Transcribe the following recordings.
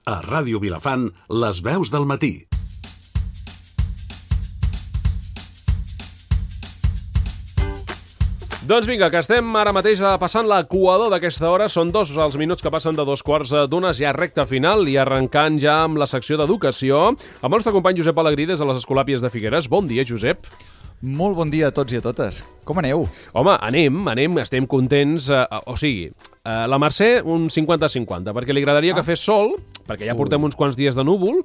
A Ràdio Vilafant, les veus del matí. Doncs vinga, que estem ara mateix passant l'equador d'aquesta hora. Són 2 els minuts que passen de 2:15, ja recta final i arrencant ja amb la secció d'educació. Amb el nostre company Josep Alegrí des de les Escolàpies de Figueres. Bon dia, Josep. Molt bon dia a tots i a totes. Com aneu? Home, anem, estem contents. La Mercè un 50-50, perquè li agradaria que fes sol, perquè ja portem uns quants dies de núvol,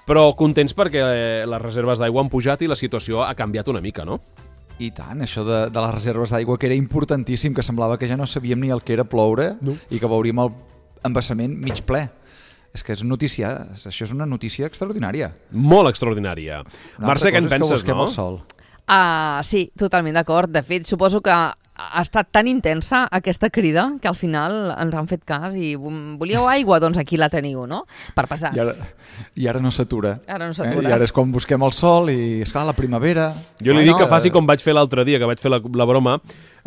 però contents perquè les reserves d'aigua han pujat i la situació ha canviat una mica, no? I tant, això de les reserves d'aigua, que era importantíssim, que semblava que ja no sabíem ni el que era ploure i que veuríem el embassament mig ple. És que això és una notícia extraordinària. Molt extraordinària. Mercè, què en penses, no? El sol. Sí, totalment d'acord. De fet, suposo que ha estat tan intensa aquesta crida que al final ens han fet cas i volíeu aigua? Doncs aquí la teniu, no? Per pesats. I ara no s'atura. Ara no s'atura. I ara és quan busquem el sol i, esclar, la primavera... Jo li dic que faci com vaig fer l'altre dia, que vaig fer la broma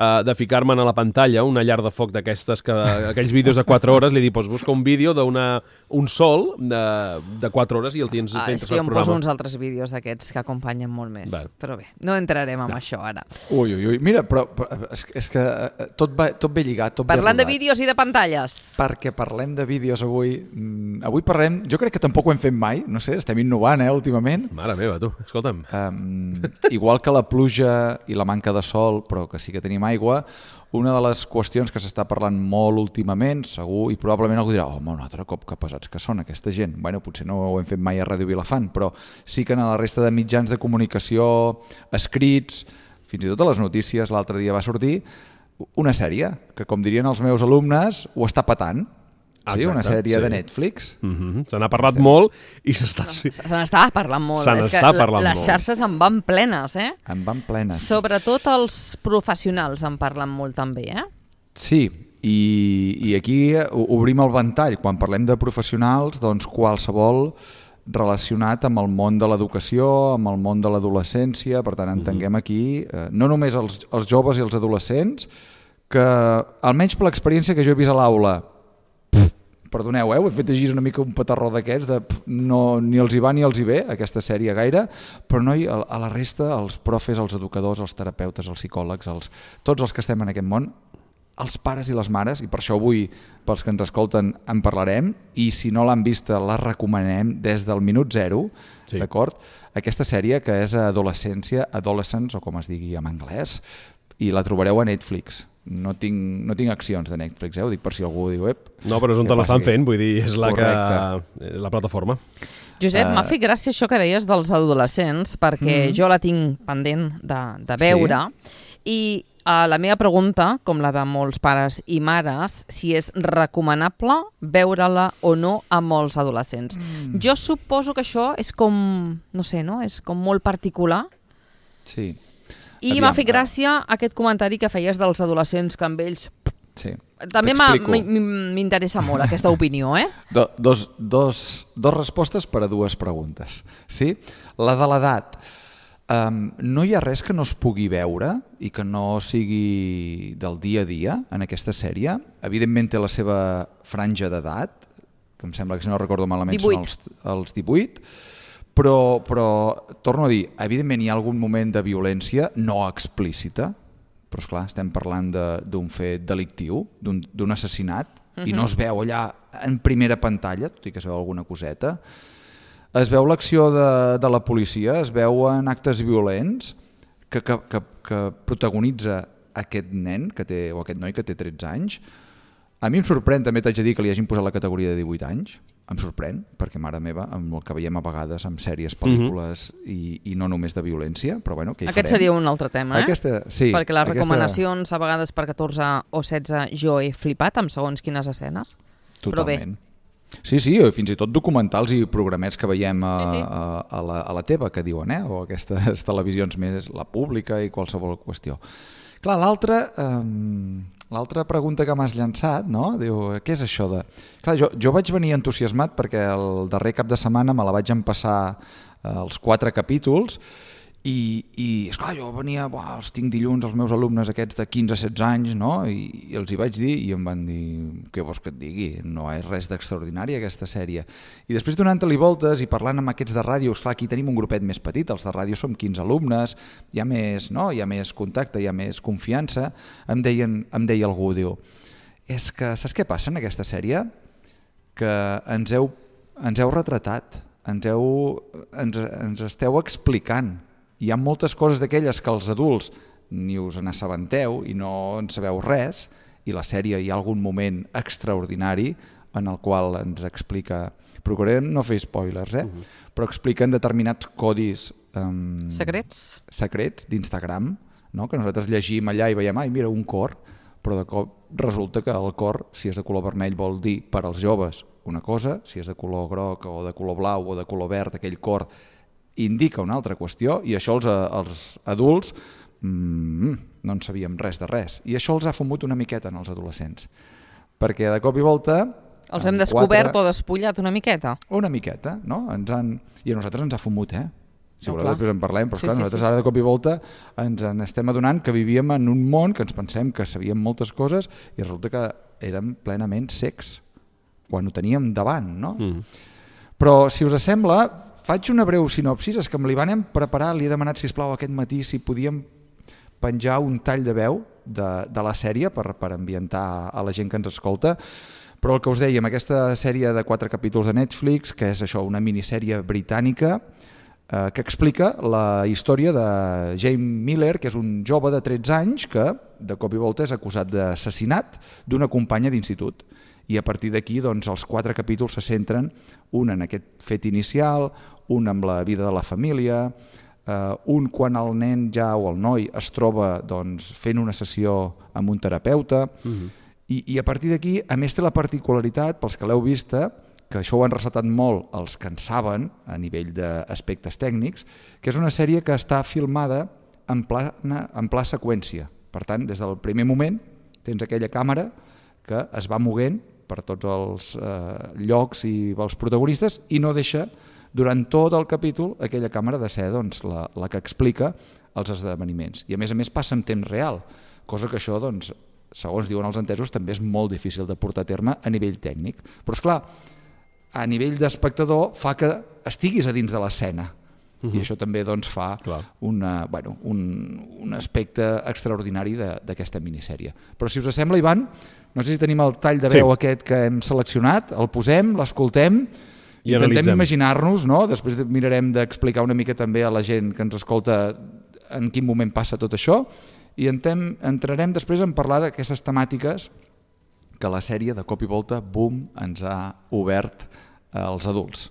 de ficar-me'n a la pantalla una llar de foc d'aquestes, aquells vídeos de 4 hores, li dic, doncs busca un vídeo d'un sol de 4 hores i el tens fent és que jo em poso uns altres vídeos d'aquests que acompanyen molt més. Però bé, no entrarem en això ara. Ui, mira, però és que tot ve lligat, tot Parlant ve de vídeos i de pantalles. Perquè parlem de vídeos avui. Avui parlem, jo crec que tampoc ho hem fet mai, no sé, estem innovant, últimament. Mare meva, tu, escolta'm. Igual que la pluja i la manca de sol, però que sí que tenim aigua, una de les qüestions que s'està parlant molt últimament, segur, i probablement algú dirà, home, un altre cop que pesats que són aquesta gent. Bueno, potser no ho hem fet mai a Ràdio Vilafant, però sí que en la resta de mitjans de comunicació, escrits, fins i tot a les notícies, l'altre dia va sortir una sèrie que, com dirien els meus alumnes, ho està patant. Sí, una sèrie de Netflix. Se n'ha parlat molt i Se n'està parlant molt. Les xarxes en van plenes, En van plenes. Sobretot els professionals en parlen molt també, Sí, i aquí obrim el ventall. Quan parlem de professionals, doncs qualsevol relacionat amb el món de l'educació, amb el món de l'adolescència. Per tant, entenguem aquí no només els joves i els adolescents, que almenys per l'experiència que jo he vist a l'aula, perdoneu, he fet així una mica un petarró d'aquests, ni els hi va ni els hi ve aquesta sèrie gaire, però no, a la resta, els profes, els educadors, els terapeutes, els psicòlegs, tots els que estem en aquest món, els pares i les mares, i per això avui, pels que ens escolten, en parlarem, i si no l'han vista, la recomanem des del minut 0, d'acord? Aquesta sèrie que és Adolescència, Adolescents, o com es digui en anglès, i la trobareu a Netflix. No tinc accions de Netflix, ho dic per si algú diu... No, però és on te l'estan fent, vull dir, és la plataforma. Josep, m'ha fet gràcia això que deies dels adolescents, perquè jo la tinc pendent de veure, i la meva pregunta, com la de molts pares i mares, si és recomanable veure-la o no amb els adolescents. Jo suposo que això és com, no sé, no? És com molt particular. Sí. I m'ha fet gràcia aquest comentari que feies dels adolescents que amb ells... Sí. També m'interessa molt aquesta opinió, Dos respostes per a 2 preguntes. Sí? La de l'edat. No hi ha res que no es pugui veure i que no sigui del dia a dia en aquesta sèrie. Evidentment té la seva franja d'edat, que em sembla que si no recordo malament són els 18, però torno a dir, evidentment hi ha algun moment de violència no explícita, però esclar, estem parlant d'un fet delictiu, d'un assassinat, i no es veu allà en primera pantalla, tot i que es veu alguna coseta. Es veu l'acció de la policia, es veuen actes violents que protagonitza aquest nen o aquest noi que té 13 anys. A mi em sorprèn, també t'haig de dir, que li hagin posat la categoria de 18 anys. Em sorprèn, perquè, mare meva, amb el que veiem a vegades en sèries, pel·lícules i no només de violència, però bueno, què hi farem? Aquest seria un altre tema, sí, perquè les recomanacions a vegades per 14 o 16 jo he flipat amb segons quines escenes. Totalment. Sí, fins i tot documentals i programets que veiem a la teva, que diuen, o aquestes televisions més, la pública i qualsevol qüestió. Clar, l'altra pregunta que m'has llançat, no? Diu, què és això de... Clar, jo vaig venir entusiasmat perquè el darrer cap de setmana me la vaig empassar els 4 capítols I esclar, jo venia, els tinc dilluns els meus alumnes aquests de 15-16 anys, no? I els hi vaig dir i em van dir, què vols que et digui? No és res d'extraordinari aquesta sèrie. I després donant-li voltes i parlant amb aquests de ràdio, esclar, aquí tenim un grupet més petit, els de ràdio som 15 alumnes, hi ha més, no? Hi ha més contacte, hi ha més confiança. Em deia algú, diu, és que saps què passa en aquesta sèrie? Que ens heu retratat, ens esteu explicant. Hi ha moltes coses d'aquelles que els adults ni us n'assabenteu i no en sabeu res, i la sèrie hi ha algun moment extraordinari en el qual ens explica, procurem no fer spoilers, però expliquen determinats codis secrets d'Instagram, no? Que nosaltres llegim allà i veiem, mira, un cor, però de cop resulta que el cor, si és de color vermell, vol dir per als joves una cosa, si és de color groc o de color blau o de color verd, aquell cor indica una altra qüestió, i això els adults no en sabíem res de res, i això els ha fumut una miqueta en els adolescents, perquè de cop i volta els hem descobert o despullat una miqueta, no? I a nosaltres ens ha fumut, si voleu després en parlem, però clar, nosaltres ara de cop i volta ens estem adonant que vivíem en un món que ens pensem que sabíem moltes coses i resulta que érem plenament cecs quan ho teníem davant, no? Però si us sembla, faig una breu sinopsis, és que amb l'Ivan hem preparat, li he demanat sisplau aquest matí si podíem penjar un tall de veu de la sèrie per ambientar a la gent que ens escolta, però el que us dèiem, aquesta sèrie de 4 capítols de Netflix, que és això, una minissèrie britànica que explica la història de Jamie Miller, que és un jove de 13 anys que de cop i volta és acusat d'assassinat d'una companya d'institut. I a partir d'aquí doncs, els 4 capítols se centren, un en aquest fet inicial, un amb la vida de la família, un quan el nen ja o el noi es troba doncs, fent una sessió amb un terapeuta, i a partir d'aquí, a més té la particularitat, pels que l'heu vista, que això ho han ressaltat molt els que en saben a nivell d'aspectes tècnics, que és una sèrie que està filmada en pla seqüència. Per tant, des del primer moment tens aquella càmera que es va moguent per tots els llocs i els protagonistes i no deixa durant tot el capítol aquella càmera de ser doncs, la que explica els esdeveniments. I a més passa en temps real, cosa que això, doncs, segons diuen els entesos, també és molt difícil de portar a terme a nivell tècnic. Però és clar, a nivell d'espectador fa que estiguis a dins de l'escena. I això també doncs, fa un aspecte extraordinari d'aquesta minissèrie. Però si us sembla, Ivan, no sé si tenim el tall de veu aquest que hem seleccionat, el posem, l'escoltem, i intentem imaginar-nos, no? Després mirarem d'explicar una mica també a la gent que ens escolta en quin moment passa tot això, i entrarem després en parlar d'aquestes temàtiques que la sèrie de cop i volta, boom, ens ha obert als adults.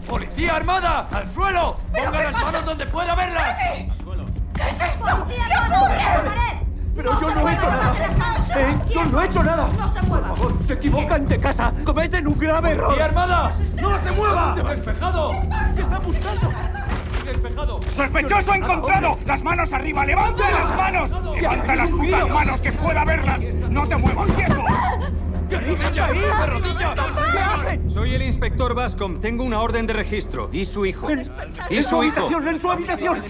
¡Policía armada! ¡Al suelo! ¡Ponga las manos donde pueda verlas! ¿Qué es esto? ¿Qué ocurre? ¡Pero yo no he hecho nada! ¡Yo no he hecho nada! ¡No se mueva! Por favor, se equivocan de casa. ¡Cometen un grave error! ¡Policía armada! ¡No se mueva! ¡Despejado! ¿Qué está buscando? Despejado. ¡Sospechoso encontrado! ¡Las manos arriba! ¡Levanta las manos! ¡Levanta las putas manos que pueda verlas! ¡No te muevas, quieto! ¿Qué haces ahí, de rodillas? ¿Qué hacen? Soy el inspector Bascom. Tengo una orden de registro. ¿Y su hijo? ¡En su habitación!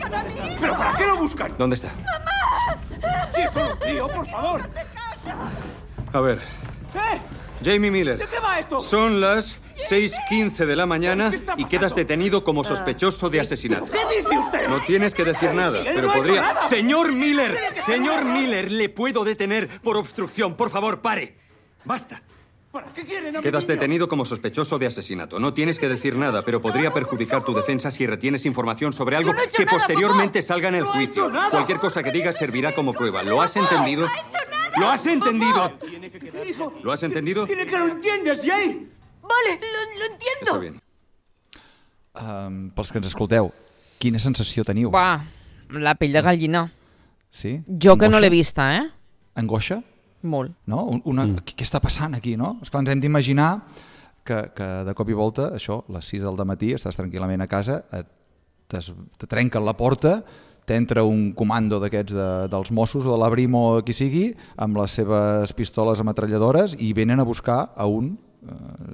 ¿Pero para qué lo buscan? ¿Dónde está? ¡Si es solo un tío, por favor! A ver. Jamie Miller. ¿De qué va esto? Son las 6:15 de la mañana y quedas detenido como sospechoso de asesinato. ¿Qué dice usted? No tienes que decir nada, Si él pero no ha hecho podría... nada. ¡Señor Miller! ¿Le puedo detener por obstrucción? Por favor, pare. Basta. ¿Para qué quieren a mi Quedas niño? detenido como sospechoso de asesinato. No tienes que decir nada, pero podría perjudicar tu defensa si retienes información sobre algo Yo no he hecho que nada, posteriormente salga en el No ha hecho juicio. nada. Cualquier cosa que digas servirá como prueba. ¿Lo has entendido? ¡No ha hecho nada! ¿Lo has entendido? Tiene que quedar... Hijo, ¿Lo has entendido? Tiene que lo entiendes, Jay. Vale, lo entiendo. Está bien. Pels que ens escolteu, quina sensació teniu? Va, la pell de gallina. Sí? Jo que no Angoixa? l'he vista, Angoixa? Molt. No? Què està passant aquí, no? Esclar, ens hem d'imaginar que de cop i volta, això, a les 6 del dematí, estàs tranquil·lament a casa, te trenquen la porta, t'entra un comando d'aquests dels Mossos o de la Brimo o qui sigui, amb les seves pistoles ametralladores i venen a buscar a un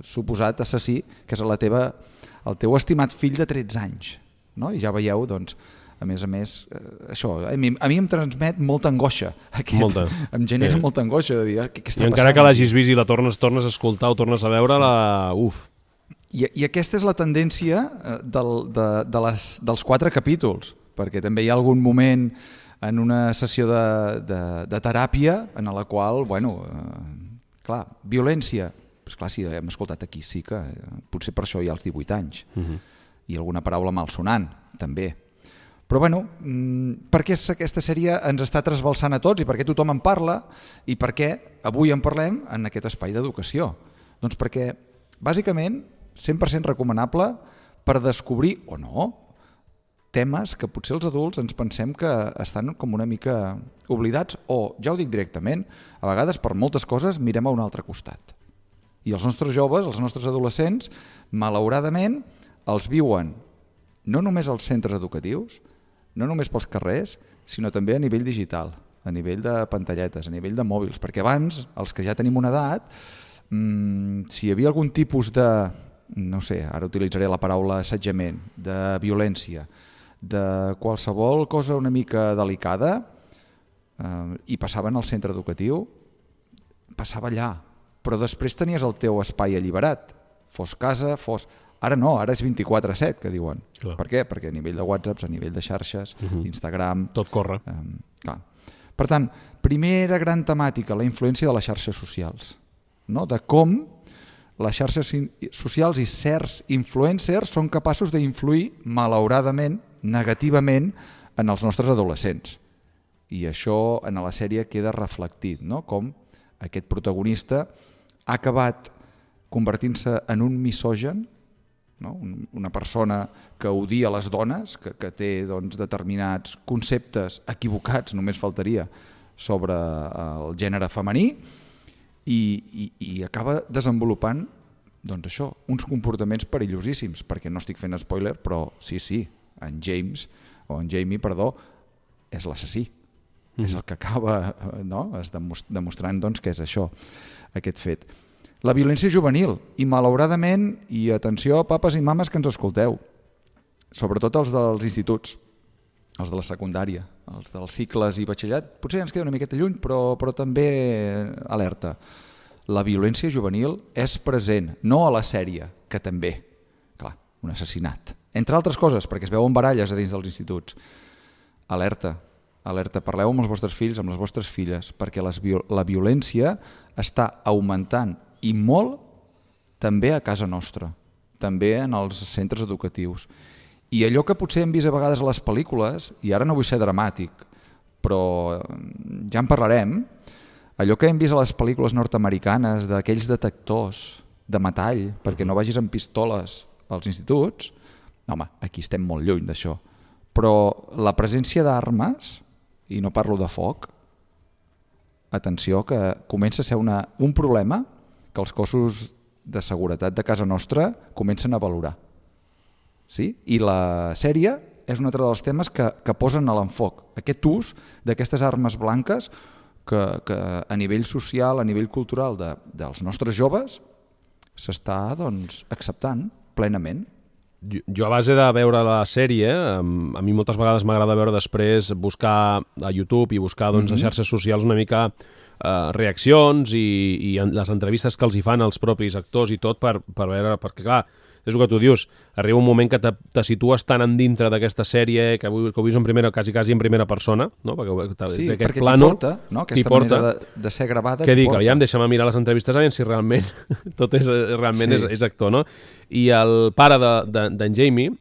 suposat assassí, que és el teu estimat fill de 13 anys. no? I ja veieu, doncs, a més, això, a mi em transmet molta angoixa. Em genera molta angoixa de dir què està passant. I encara que l'hagis vist i la tornes a escoltar o tornes a veure, I aquesta és la tendència dels 4 capítols, perquè també hi ha algun moment en una sessió de teràpia en la qual, clar, violència, clar, si hem escoltat aquí sí que potser per això hi ha els 18 anys i alguna paraula malsonant també, però per què aquesta sèrie ens està trasbalsant a tots i per què tothom en parla i per què avui en parlem en aquest espai d'educació? Doncs perquè bàsicament 100% recomanable per descobrir o no temes que potser els adults ens pensem que estan com una mica oblidats o, ja ho dic directament, a vegades per moltes coses mirem a un altre costat. I els nostres joves, els nostres adolescents, malauradament, els viuen no només als centres educatius, no només pels carrers, sinó també a nivell digital, a nivell de pantalletes, a nivell de mòbils, perquè abans, els que ja tenim una edat, si hi havia algun tipus de, no sé, ara utilitzaré la paraula assetjament, de violència, de qualsevol cosa una mica delicada i passaven al centre educatiu, passava allà, però després tenies el teu espai alliberat, fos casa, fos... Ara no, ara és 24/7, que diuen. Clar. Per què? Perquè a nivell de WhatsApp, a nivell de xarxes, Instagram... Tot corre. Clar. Per tant, primera gran temàtica, la influència de les xarxes socials, no? De com les xarxes socials i certs influencers són capaços d'influir, malauradament, negativament, en els nostres adolescents. I això en la sèrie queda reflectit, no? Com aquest protagonista ha acabat convertint-se en un misògen, no? Una persona que odia les dones, que té determinats conceptes equivocats, només faltaria, sobre el gènere femení i acaba desenvolupant això, uns comportaments perillosíssims, perquè no estic fent spoiler, però sí, en Jamie, és l'assassí. És el que acaba demostrant que és això, aquest fet. La violència juvenil, i malauradament, i atenció papes i mames que ens escolteu, sobretot els dels instituts, els de la secundària, els dels cicles i batxillerat, potser ens queda una miqueta lluny, però també alerta. La violència juvenil és present, no a la sèrie, que també, clar, un assassinat. Entre altres coses, perquè es veuen baralles a dins dels instituts. Alerta, parleu amb els vostres fills, amb les vostres filles, perquè la violència està augmentant i molt també a casa nostra, també en els centres educatius. I allò que potser hem vist a vegades a les pel·lícules, i ara no vull ser dramàtic, però ja en parlarem, allò que hem vist a les pel·lícules nord-americanes d'aquells detectors de metall perquè no vagis amb pistoles als instituts, home, aquí estem molt lluny d'això. Però la presència d'armes, i no parlo de foc, atenció, que comença a ser un problema que els cossos de seguretat de casa nostra comencen a valorar. Sí? I la sèrie és un altre dels temes que posen a l'enfoc. Aquest ús d'aquestes armes blanques que a nivell social, a nivell cultural dels nostres joves s'està acceptant plenament. Jo a base de veure la sèrie, a mi moltes vegades m'agrada veure després, buscar a YouTube i buscar a xarxes socials una mica reaccions i les entrevistes que els hi fan els propis actors i tot per veure, perquè clar, és el que tu dius, arriba un moment que te situes tan endintre d'aquesta sèrie que ho veus quasi en primera persona, no? Perquè t'hi porta, no? Aquesta manera de ser gravada. Que dic, aviam, deixa'm mirar les entrevistes a veure si realment tot és actor, no? I el pare d'en Jamie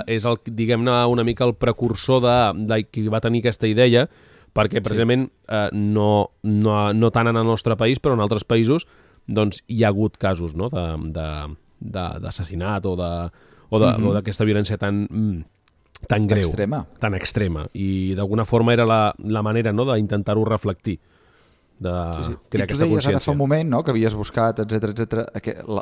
és diguem-ne una mica el precursor de qui va tenir aquesta idea, perquè precisament no tant en el nostre país, però en altres països hi ha hagut casos d'assassinat o d'aquesta violència tan greu, tan extrema, i d'alguna forma era la manera d'intentar-ho reflectir, de crear aquesta consciència. I tu deies ara fa un moment que havies buscat, etc.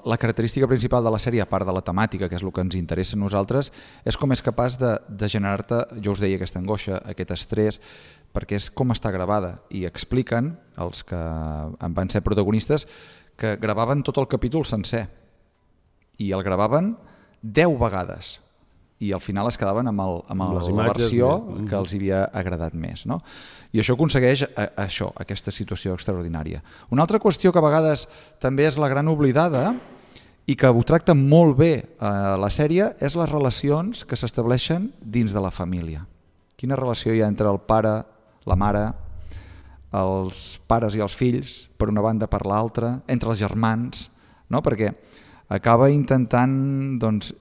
La característica principal de la sèrie, a part de la temàtica, que és el que ens interessa a nosaltres, és com és capaç de generar-te, jo us deia, aquesta angoixa, aquest estrès, perquè és com està gravada. I expliquen, els que en van ser protagonistes, que gravaven tot el capítol sencer. I el gravaven 10 vegades. i al final es quedaven amb les la imatges, versió que els havia agradat més. No? I això aconsegueix aquesta situació extraordinària. Una altra qüestió que a vegades també és la gran oblidada i que ho tracta molt bé la sèrie és les relacions que s'estableixen dins de la família. Quina relació hi ha entre el pare, la mare, els pares i els fills, per una banda per l'altra, entre els germans, no? Perquè acaba intentant doncs,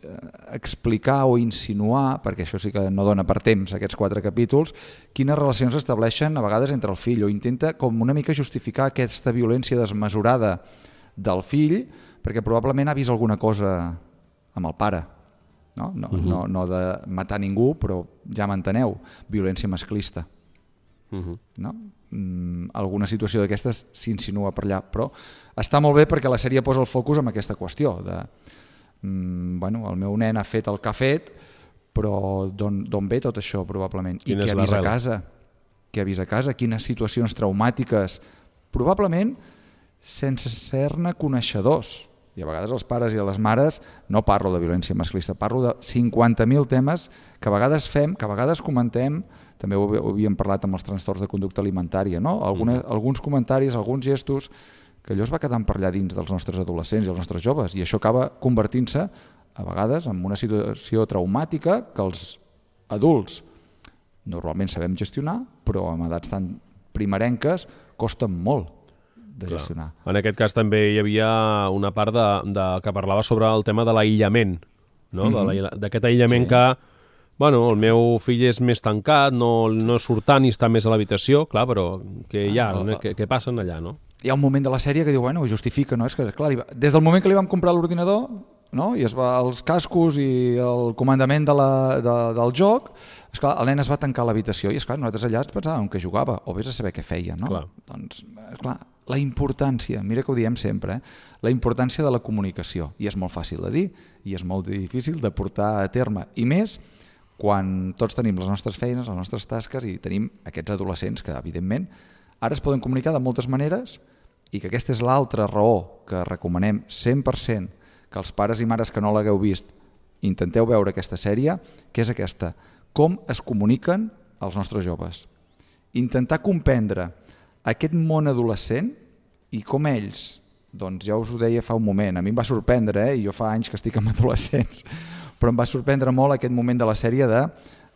explicar o insinuar, perquè això sí que no dona per temps aquests 4 capítols, quines relacions s'estableixen a vegades entre el fill, o intenta com una mica justificar aquesta violència desmesurada del fill, perquè probablement ha vist alguna cosa amb el pare, no de matar ningú, però ja m'enteneu, violència masclista. No? Alguna situació d'aquestes s'insinua per allà, però està molt bé perquè la sèrie posa el focus en aquesta qüestió de el meu nen ha fet el que ha fet, però d'on ve tot això probablement? I què ha vist a casa? Què ha vist a casa? Quines situacions traumàtiques? Probablement sense ser-ne coneixedors. I a vegades els pares i les mares, no parlo de violència masclista, parlo de 50.000 temes que a vegades fem, que a vegades comentem, també ho havíem parlat amb els trastorns de conducta alimentària, no? Alguns comentaris, alguns gestos, que allò es va quedant per allà dins dels nostres adolescents i els nostres joves, i això acaba convertint-se a vegades en una situació traumàtica que els adults normalment sabem gestionar, però amb edats tan primerenques costen molt de gestionar. En aquest cas també hi havia una part que parlava sobre el tema de l'aïllament, no? D'aquest aïllament que el meu fill és més tancat, no surt tant i està més a l'habitació, clar, però què passa allà, no? Hi ha un moment de la sèrie que diu, ho justifica, no? És que, clar, des del moment que li vam comprar l'ordinador, no? I els cascos i el comandament del joc, esclar, el nen es va tancar a l'habitació i, esclar, nosaltres allà pensàvem que jugava, o vés a saber què feia, no? Clar. Doncs, esclar, la importància, mira que ho diem sempre, la importància de la comunicació, i és molt fàcil de dir, i és molt difícil de portar a terme, i més quan tots tenim les nostres feines, les nostres tasques i tenim aquests adolescents que, evidentment, ara es poden comunicar de moltes maneres i que aquesta és l'altra raó que recomanem 100% que els pares i mares que no l'hagueu vist intenteu veure aquesta sèrie, que és aquesta, com es comuniquen els nostres joves. Intentar comprendre aquest món adolescent i com ells, doncs ja us ho deia fa un moment, a mi em va sorprendre, i jo fa anys que estic amb adolescents, però em va sorprendre molt aquest moment de la sèrie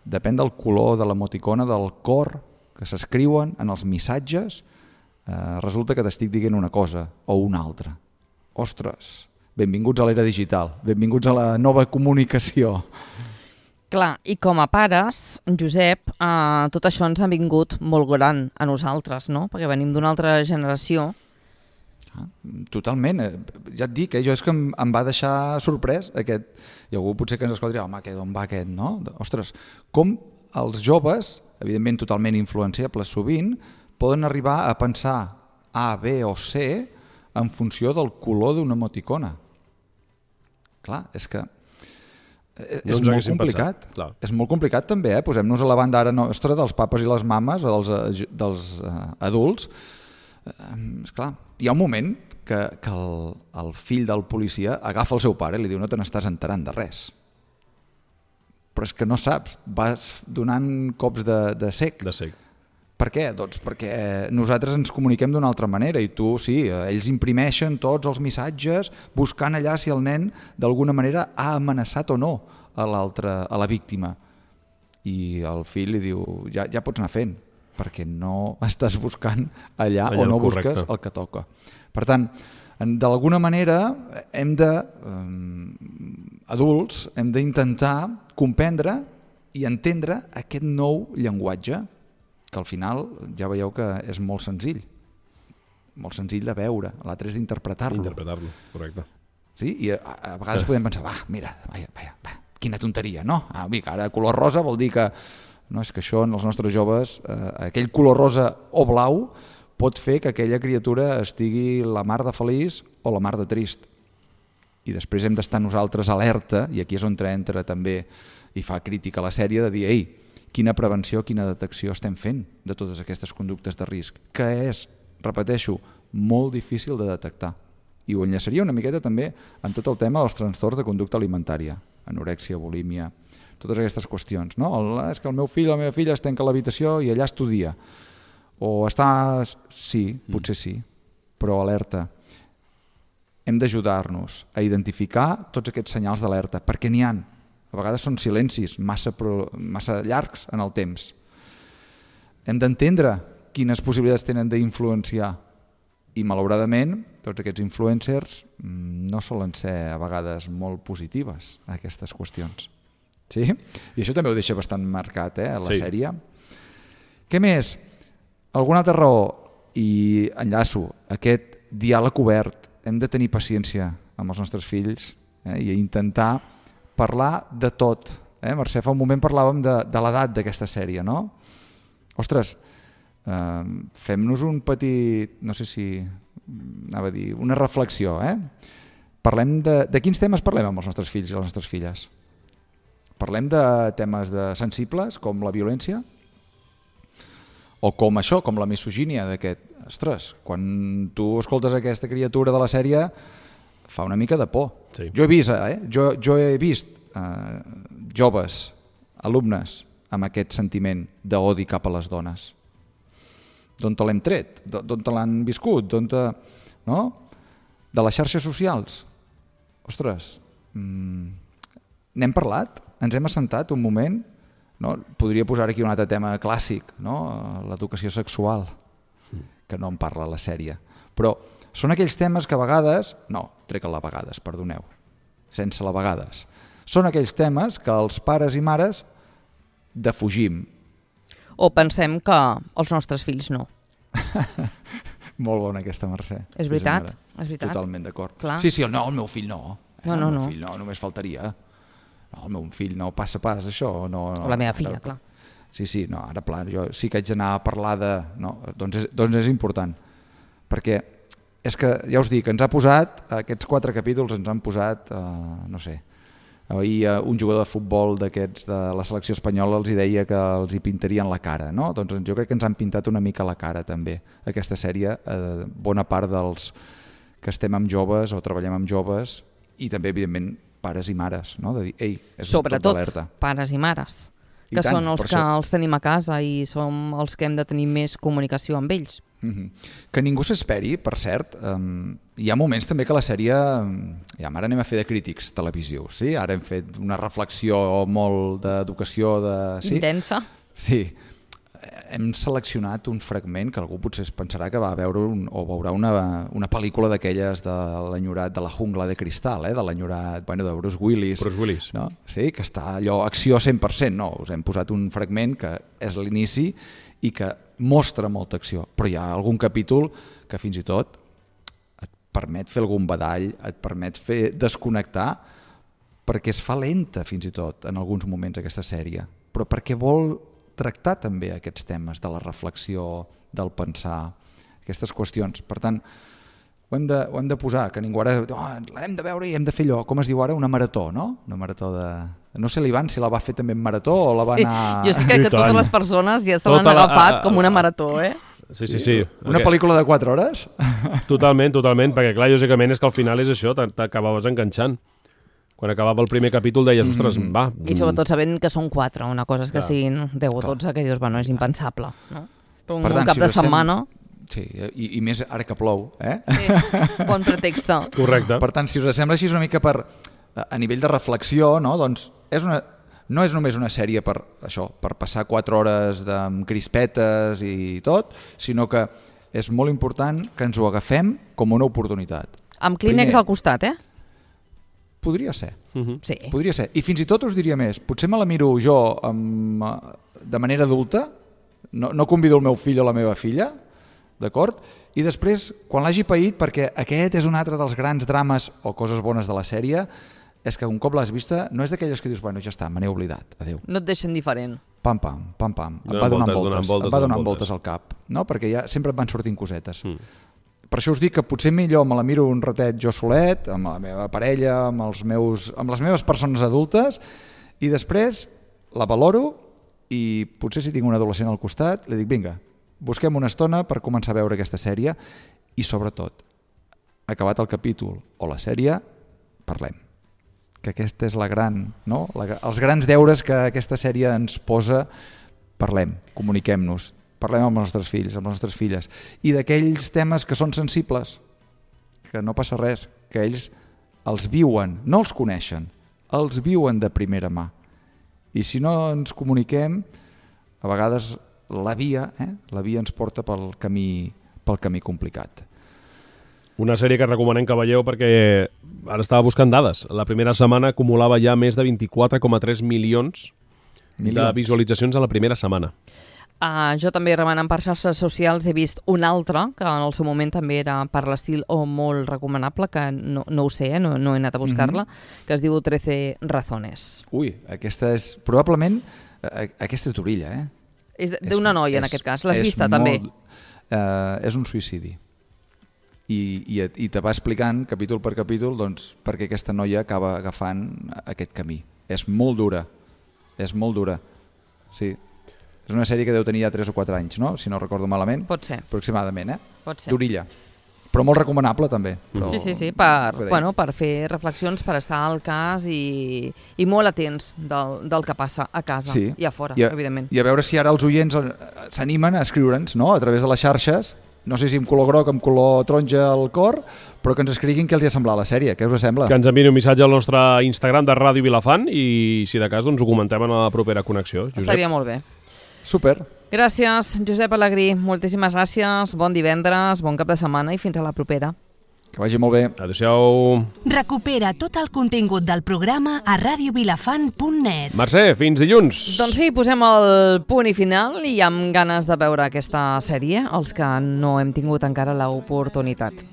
depèn del color de l'emoticona, del cor que s'escriuen en els missatges, resulta que t'estic dient una cosa o una altra. Ostres, benvinguts a l'era digital, benvinguts a la nova comunicació. Clar, i com a pares, Josep, tot això ens ha vingut molt gran a nosaltres, no? Perquè venim d'una altra generació. Totalment, ja et dic, jo és que em va deixar sorprès aquest, i algú potser que ens escolti, home, d'on va aquest, no? Ostres, com els joves, evidentment totalment influenciables sovint, poden arribar a pensar A, B o C en funció del color d'una emoticona. Clar, és que és molt complicat. És molt complicat també, posem-nos a la banda ara nostra dels papes i les mames o dels adults. Esclar, hi ha un moment que el fill del policia agafa el seu pare i li diu no te n'estàs enterant de res. Però és que no saps, vas donant cops de cec. Per què? Doncs perquè nosaltres ens comuniquem d'una altra manera i tu, sí, ells imprimeixen tots els missatges buscant allà si el nen d'alguna manera ha amenaçat o no a la víctima. I el fill li diu, ja pots anar fent, perquè no estàs buscant allà o no busques el que toca. Per tant, d'alguna manera adults hem d'intentar comprendre i entendre aquest nou llenguatge que al final ja veieu que és molt senzill de veure, l'altre és d'interpretar-lo. Interpretar-lo, correcte. Sí? I a vegades podem pensar, mira, quina tonteria, no? Ara color rosa vol dir que no, és que això en els nostres joves, aquell color rosa o blau pot fer que aquella criatura estigui la mar de feliç o la mar de trist. I després hem d'estar nosaltres alerta, i aquí és on entra també i fa crítica a la sèrie, de dir, quina prevenció, quina detecció estem fent de totes aquestes conductes de risc, que és, repeteixo, molt difícil de detectar. I ho enllaçaria una miqueta també amb tot el tema dels trastorns de conducta alimentària, anorèxia, bulímia, totes aquestes qüestions, no? És que el meu fill o la meva filla es tanca a l'habitació i allà estudia. O està... Sí, potser sí, però alerta. Hem d'ajudar-nos a identificar tots aquests senyals d'alerta, perquè n'hi ha. A vegades són silencis massa llargs en el temps. Hem d'entendre quines possibilitats tenen d'influenciar. I, malauradament, tots aquests influencers no solen ser a vegades molt positives, aquestes qüestions. Sí? I això també ho deixa bastant marcat, la sèrie. Què més? Alguna altra raó, i enllaço, aquest diàleg obert. Hem de tenir paciència amb els nostres fills i intentar parlar de tot. Mercè, fa un moment parlàvem de l'edat d'aquesta sèrie, no? Ostres, fem-nos un petit, no sé si anava a dir, una reflexió. Parlem de quins temes parlem amb els nostres fills i les nostres filles? Parlem de temes sensibles com la violència? O com això, com la misogínia d'aquest... Ostres, quan tu escoltes aquesta criatura de la sèrie fa una mica de por. Sí. Jo he vist joves, alumnes, amb aquest sentiment d'odi cap a les dones. D'on te l'hem tret? D'on te l'han viscut? No? De les xarxes socials? Ostres, n'hem parlat? Ens hem assentat un moment? No? Podria posar aquí un altre tema clàssic, no? L'educació sexual, que no en parla la sèrie. Però són aquells temes que a vegades... No, trec la vegades, perdoneu. Sense la vegades. Són aquells temes que els pares i mares defugim. O pensem que els nostres fills no. Molt bona aquesta, Mercè. És veritat, és veritat. Totalment d'acord. Clar. Sí, el meu fill no. No. El meu fill no, només faltaria. No, el meu fill no passa pas això. No, o la meva filla, clar. Sí, no, ara plan, jo sí que haig d'anar a parlar de... No, doncs és important. Perquè és que, ja us dic, ens ha posat, aquests 4 capítols ens han posat, no sé, ahir un jugador de futbol d'aquests de la selecció espanyola els deia que els hi pintarien la cara, no? Doncs jo crec que ens han pintat una mica la cara també, aquesta sèrie, bona part dels que estem amb joves o treballem amb joves i també, evidentment, pares i mares, no? De dir, ei, és sobretot tot d'alerta. Pares i mares, que tant, són els que els tenim a casa i som els que hem de tenir més comunicació amb ells. Que ningú s'esperi, per cert, hi ha moments també que la sèrie, ja ara anem a fer de crítics televisius, sí? Ara hem fet una reflexió molt d'educació intensa. Sí, hem seleccionat un fragment que algú potser es pensarà que va veure o veurà una pel·lícula d'aquelles de l'enyorat de la jungla de cristal, de l'enyorat de Bruce Willis. Bruce Willis. No? Sí, que està allò acció 100%, no, us hem posat un fragment que és l'inici i que mostra molta acció, però hi ha algun capítol que fins i tot et permet fer algun badall, et permet desconnectar, perquè es fa lenta fins i tot en alguns moments aquesta sèrie, però perquè vol tractar també aquests temes de la reflexió, del pensar, aquestes qüestions. Per tant, ho hem de posar, que ningú ara l'hem de veure i hem de fer allò, com es diu ara, una marató, no? Una marató de... No sé l'Ivan si la va fer també en marató o la va anar... Jo sé que totes les persones ja se l'han agafat com una marató, Sí. Una pel·lícula de 4 hores? Totalment, perquè clar, lògicament és que al final és això, t'acabaves enganxant. Quan acabava el primer capítol deies, ostres, va... I sobretot sabent que són 4, una cosa és que siguin 10 o 12, que dius, bueno, és impensable, no? Però un cap de setmana... Sí, i més ara que plou, Sí, bon pretext. Correcte. Per tant, si us sembla així una mica a nivell de reflexió, no? Doncs no és només una sèrie per passar 4 hores amb crispetes i tot, sinó que és molt important que ens ho agafem com una oportunitat. Amb Kleenex al costat, Podria ser. Sí. Podria ser. I fins i tot us diria més, potser me la miro jo de manera adulta, no convido el meu fill o la meva filla, d'acord? I després, quan l'hagi paït, perquè aquest és un altre dels grans drames o coses bones de la sèrie, és que un cop l'has vista, no és d'aquelles que dius, bueno, ja està, me n'he oblidat, adéu. No et deixen diferent. Pam, em va donant voltes al cap, no? Perquè ja sempre et van sortint cosetes. Per això us dic que potser millor me la miro un ratet jo solet, amb la meva parella, amb les meves persones adultes, i després la valoro i potser si tinc un adolescent al costat, li dic, vinga, busquem una estona per començar a veure aquesta sèrie i, sobretot, acabat el capítol o la sèrie, parlem. que aquesta és la gran, no? Els grans deures que aquesta sèrie ens posa. Parlem, comuniquem-nos, parlem amb els nostres fills, amb les nostres filles, i d'aquells temes que són sensibles, que no passa res, que ells els viuen, no els coneixen, els viuen de primera mà. I si no ens comuniquem, a vegades la via ens porta pel camí complicat. Una sèrie que recomanem que veieu perquè ara estava buscant dades. La primera setmana acumulava ja més de 24,3 milions de visualitzacions a la primera setmana. Jo també remenant per xarxes socials he vist un altre, que en el seu moment també era per l'estil o molt recomanable, que no ho sé, no he anat a buscar-la, que es diu 13 razones. Ui, aquesta és, probablement, aquesta és d'orilla, És d'una noia, en aquest cas. L'has vista, també? És un suïcidi. I te va explicant, capítol per capítol, doncs, perquè aquesta noia acaba agafant aquest camí. És molt dura. Sí. És una sèrie que deu tenir ja 3 o 4 anys, no? Si no recordo malament. Pot ser. Aproximadament, Pot ser. D'orilla. Però molt recomanable, també. Però... Sí, per fer reflexions, per estar al cas i molt atents del que passa a casa i a fora, evidentment. I a veure si ara els oients s'animen a escriure'ns, no?, a través de les xarxes, no sé si amb color groc, amb color taronja al cor, però que ens escriguin què els ha semblat la sèrie, què us sembla? Que ens enviïn un missatge al nostre Instagram de Ràdio Vilafant i, si de cas, doncs ho comentem en la propera connexió. Josep. Estaria molt bé. Super. Gràcies, Josep Alegrí. Moltíssimes gràcies, bon divendres, bon cap de setmana i fins a la propera. Que vagi molt bé. Adéu-siau. Recupera tot el contingut del programa a radiovilafant.net. Mercè, fins dilluns. Doncs sí, posem el punt i final i amb ganes de veure aquesta sèrie, els que no hem tingut encara l'oportunitat.